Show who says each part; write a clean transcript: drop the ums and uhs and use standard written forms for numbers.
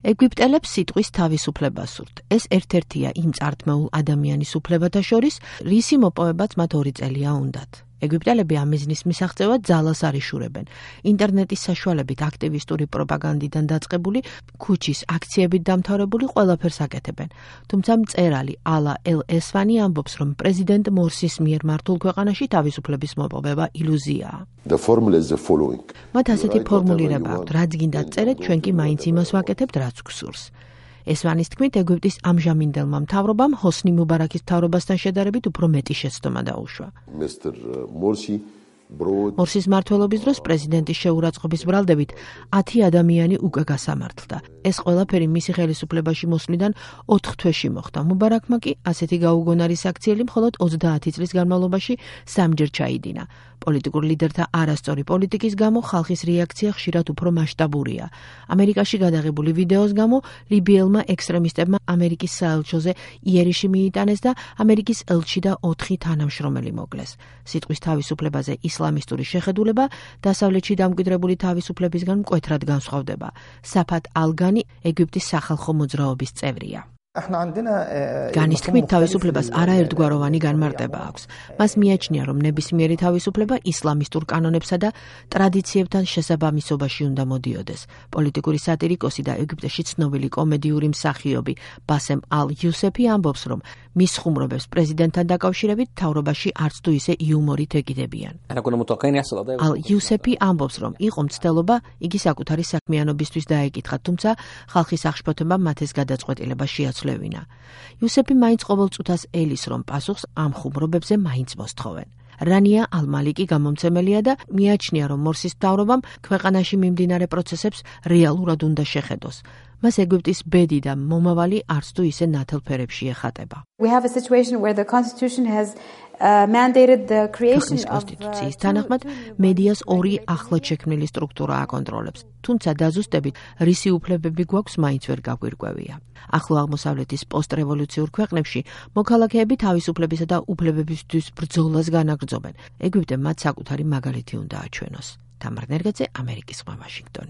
Speaker 1: ეგვიპტელებს სიტყვის თავისუფლება სურთ. ეს ერთ-ერთია იმ წართმეულ ადამიანის უფლებათა შორის, რისი მოპოვებაც მათ 2 წელია უნდათ. ეგვიპტელები ამ მიზნის მისაღწევად ძალას არ იშურებენ. ინტერნეტის საშუალებით აქტივისტური პროპაგანდიდან დაწყებული, ქუჩის აქციებით დამთავრებული ყველაფერს აკეთებენ. თუმცა მწერალი ალა ელ-ესვანი ამბობს, რომ პრეზიდენტ მორსის მიერ მართულ ქვეყანაში თავისუფლების მოპოვება ილუზიაა. მათ ასეთი ფორმულირება აქვთ, რაც გინდათ წერეთ, ჩვენ კი მაინც იმას ვაკეთებთ, რაც გსურს. ესვანის თქმით, ეგვიპტის ამჟამინდელმა მთავრობამ ჰოსნი მუბარაქის მთავრობასთან შედარებით უფრო მეტი შეცდომა დაუშვა. მორსის მმართველობის დროს პრეზიდენტის შეურაცხყოფის ბრალდებით 10 ადამიანი უკვე გასამართლდა. ეს ყველაფერი მისი ხელისუფლებაში მოსვლიდან 4 თვეში მოხდა. მუბარაქმა კი ასეთი გაუგონარი საქციელი მხოლოდ 30 წლის განმავლობაში 3-ჯერ ჩაიდინა. პოლიტიკურ ლიდერთა არასწორი პოლიტიკის გამო ხალხის რეაქცია ხშირად უფრო მასშტაბურია. ამერიკაში გადაღებული ვიდეოს გამო ლიბიელმა ექსტრემისტებმა ამერიკის საელჩოზე იერიში მიიტანეს და ამერიკის ელჩი და 4 თანამშრომელი მოკლეს. სიტყვის თავისუფლებაზე ისლამისტური შეხედულება დასავლეთში დამკვიდრებული თავისუფლებისგან მკვეთრად განსხვავდება. საფათ ალგანი ეგვიპტის სახალხო მოძრაობის წევრია. განის თქმით, თავისუფლებას არაერთგვაროვანი განმარტება აქვს. მას მიაჩნია, რომ ნებისმიერი თავისუფლება ისლამისტურ კანონებსა და ტრადიციებთან შესაბამისობაში უნდა მოდიოდეს. პოლიტიკური სატირიკოსი და ეგვიპტეში ცნობილი კომედიური მსახიობი ბასემ ალ-იუსეფი ამბობს, რომ მის ხუმრობებს პრეზიდენტთან დაკავშირებით მთავრობაში არც თუ ისე იუმორით ეკიდებიან. ალ-იუსეფი ამბობს, რომ იყო მცდელობა იგი საკუთარი საქმიანობისთვის დაეკითხა, თუმცა ხალხის აღშფოთებამ მათ ეს გადაწყვეტილება შეაცვლევინა. იუსეფი მაინც ყოველ წუთას ელის, რომ პასუხს ამ ხუმრობებზე მაინც მოსთხოვენ. რანია ალ-მალიკი გამომცემელია და მიაჩნია, რომ მორსის მთავრობამ ქვეყანაში მიმდინარე პროცესებს რეალურად უნდა შეხედოს. მას ეგვიპტის ბედი და მომავალი არც თუ ისე ნათელ ფერებში ეხატება. ქვეყნის კონსტიტუციის თანახმად მედიას 2 ახლად შექმნილი სტრუქტურა აკონტროლებს, თუმცა დაზუსტებით რისი უფლებები გვაქვს მაინც ვერ გაგვირკვევია. ახლო აღმოსავლეთის პოსტრევოლუციურ ქვეყნებში მოქალაქეები თავისუფლებისა და უფლებებისთვის ბრძოლას განაგრძობენ. ეგვიპტემ მათ საკუთარი მაგალითი უნდა აჩვენოს. თამარ ნერგაძე, ამერიკის ზღვა, ვაშინგტონი.